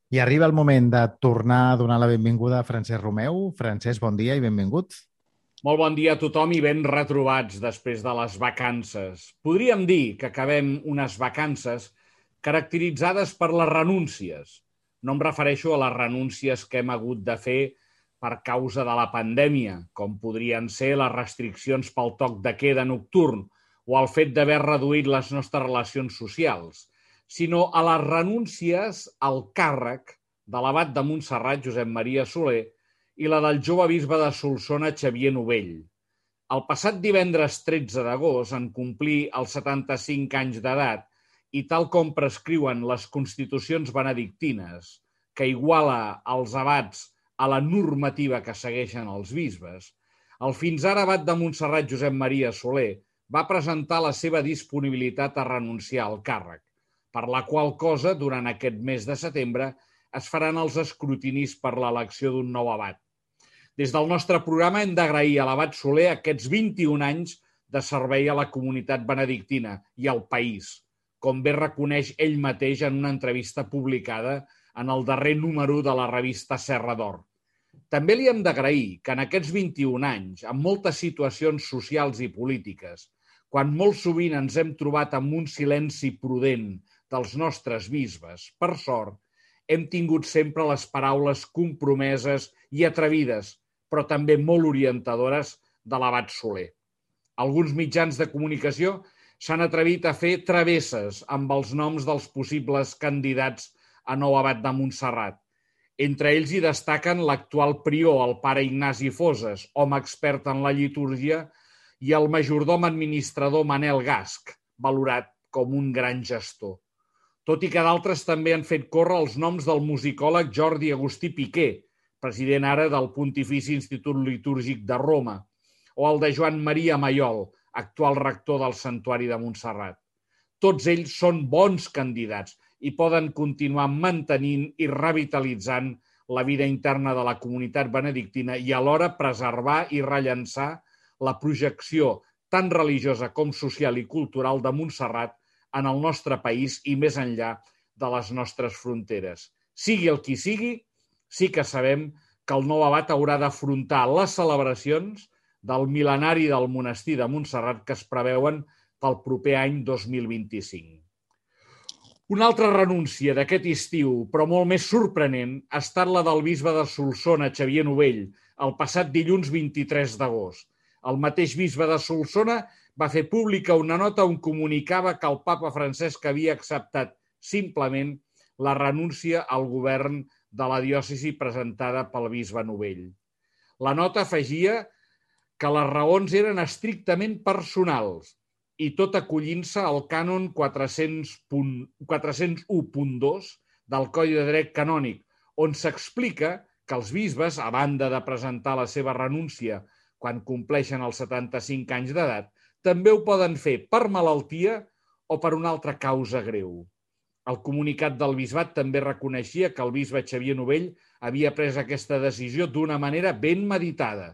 I arriba el moment de tornar a donar la benvinguda a Francesc Romeu. Francesc, bon dia i benvingut. Molt bon dia a tothom i ben retrobats després de les vacances. Podríem dir que acabem unes vacances caracteritzades per les renúncies. No em refereixo a les renúncies que hem hagut de fer per causa de la pandèmia, com podrien ser les restriccions pel toc de queda nocturn o el fet d'haver reduït les nostres relacions socials, sinó a les renúncies al càrrec de l'abat de Montserrat, Josep Maria Soler, i la del jove bisbe de Solsona, Xavier Novell. El passat divendres 13 d'agost, en complir els 75 anys d'edat i tal com prescriuen les constitucions benedictines, que iguala els abats a la normativa que segueixen els bisbes, el fins ara abat de Montserrat, Josep Maria Soler, va presentar la seva disponibilitat a renunciar al càrrec, per la qual cosa, durant aquest mes de setembre, es faran els escrutinis per l'elecció d'un nou abat. Des del nostre programa hem d'agrair a l'abat Soler aquests 21 anys de servei a la comunitat benedictina i al país, com bé reconeix ell mateix en una entrevista publicada en el darrer número de la revista Serra d'Or. També li hem d'agrair que en aquests 21 anys, amb moltes situacions socials i polítiques, quan molt sovint ens hem trobat amb un silenci prudent dels nostres bisbes, per sort, hem tingut sempre les paraules compromeses i atrevides, però també molt orientadores de l'abat Soler. Alguns mitjans de comunicació s'han atrevit a fer travesses amb els noms dels possibles candidats a nou abat de Montserrat. Entre ells hi destaquen l'actual prior, el pare Ignasi Foses, home expert en la litúrgia, i el majordom administrador Manel Gasc, valorat com un gran gestor. Tot i que d'altres també han fet córrer els noms del musicòleg Jordi Agustí Piqué, president ara del Pontifici Institut Litúrgic de Roma, o el de Joan Maria Maiol, actual rector del Santuari de Montserrat. Tots ells són bons candidats i poden continuar mantenint i revitalitzant la vida interna de la comunitat benedictina i alhora preservar i rellançar la projecció tant religiosa com social i cultural de Montserrat en el nostre país i més enllà de les nostres fronteres. Sigui el qui sigui, sí que sabem que el nou abat haurà d'afrontar les celebracions del mil·lenari del monestir de Montserrat que es preveuen pel proper any 2025. Una altra renúncia d'aquest estiu, però molt més sorprenent, ha estat la del bisbe de Solsona, Xavier Novell, el passat dilluns 23 d'agost. El mateix bisbe de Solsona va fer pública una nota on comunicava que el papa Francesc havia acceptat simplement la renúncia al govern de la diòcesi presentada pel bisbe Novell. La nota afegia que les raons eren estrictament personals i tot acollint-se al cànon 401.2 del Codi de Dret Canònic, on s'explica que els bisbes, a banda de presentar la seva renúncia quan compleixen els 75 anys d'edat, també ho poden fer per malaltia o per una altra causa greu. El comunicat del bisbat també reconeixia que el bisbe Xavier Novell havia pres aquesta decisió d'una manera ben meditada,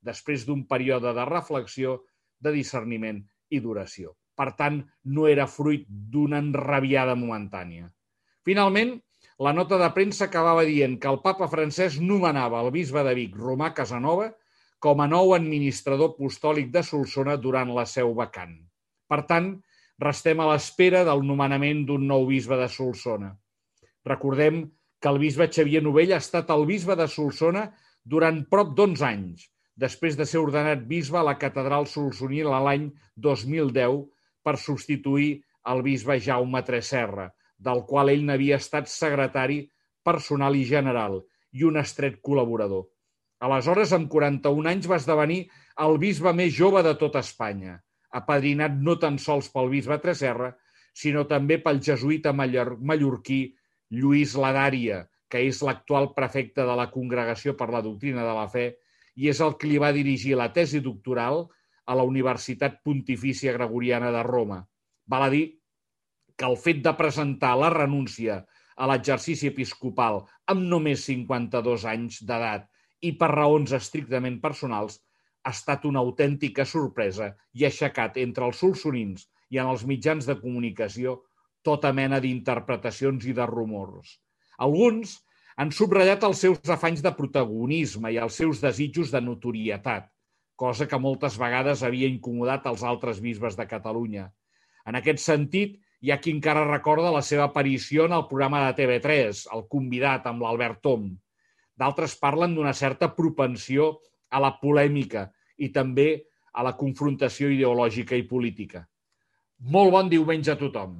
després d'un període de reflexió, de discerniment i d'oració. Per tant, no era fruit d'una enrabiada momentània. Finalment, la nota de premsa acabava dient que el papa Francesc nomenava el bisbe de Vic, Romà Casanova, com a nou administrador apostòlic de Solsona durant la seu vacant. Per tant, restem a l'espera del nomenament d'un nou bisbe de Solsona. Recordem que el bisbe Xavier Novell ha estat el bisbe de Solsona durant prop d'11 anys, després de ser ordenat bisbe a la catedral solsonina l'any 2010 per substituir el bisbe Jaume Tresserra, del qual ell n'havia estat secretari personal i general i un estret col·laborador. Aleshores, amb 41 anys, va esdevenir el bisbe més jove de tot Espanya, apadrinat no tan sols pel bisbe Tresserra, sinó també pel jesuïta mallorquí Lluís Ladària, que és l'actual prefecte de la Congregació per la Doctrina de la Fe i és el que li va dirigir la tesi doctoral a la Universitat Pontifícia Gregoriana de Roma. Val a dir que el fet de presentar la renúncia a l'exercici episcopal amb només 52 anys d'edat i per raons estrictament personals ha estat una autèntica sorpresa i ha aixecat entre els solsonins i en els mitjans de comunicació tota mena d'interpretacions i de rumors. Alguns han subratllat els seus afanys de protagonisme i els seus desitjos de notorietat, cosa que moltes vegades havia incomodat els altres bisbes de Catalunya. En aquest sentit, hi ha qui encara recorda la seva aparició en el programa de TV3, El Convidat, amb l'Albert Tom. D'altres parlen d'una certa propensió a la polèmica i també a la confrontació ideològica i política. Molt bon diumenge a tothom.